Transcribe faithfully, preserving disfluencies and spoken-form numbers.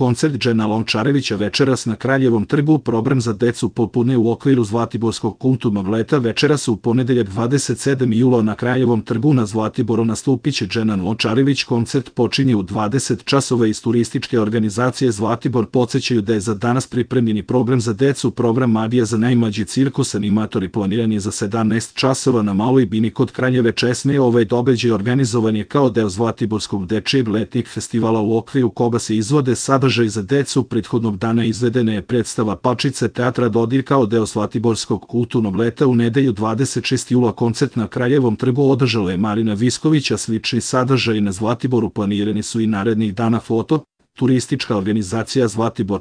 Koncert Džena Lončarevića večeras na Kraljevom trgu. Program za decu popune u okviru Zlatiborskog kulturnog leta. Večeras u ponedeljak dvadeset sedmog jula na Kraljevom trgu na Zlatiboru nastupiće Džena Lončarević. Koncert počinje u dvadeset časova. Iz turističke organizacije Zlatibor podsećaju da je za danas pripremljeni program za decu. Program Magija za najmlađi cirkus animatori planiran je za sedamnaest časova na Maloj bini kod Kraljeve česme. Ovaj događaj organizovan je kao deo Zlatiborskog dečijeg letnjeg festivala u okviru koga se izvode sadržaj za decu. Prethodnog dana izvedena je predstava Pačice teatra Dodir kao deo Zlatiborskog kulturnog leta. U nedelju dvadeset šestog jula koncert na Kraljevom trgu održala je Marina Visković, a slični sadržaj na Zlatiboru planirani su i narednih dana. Foto, turistička organizacija Zlatibor.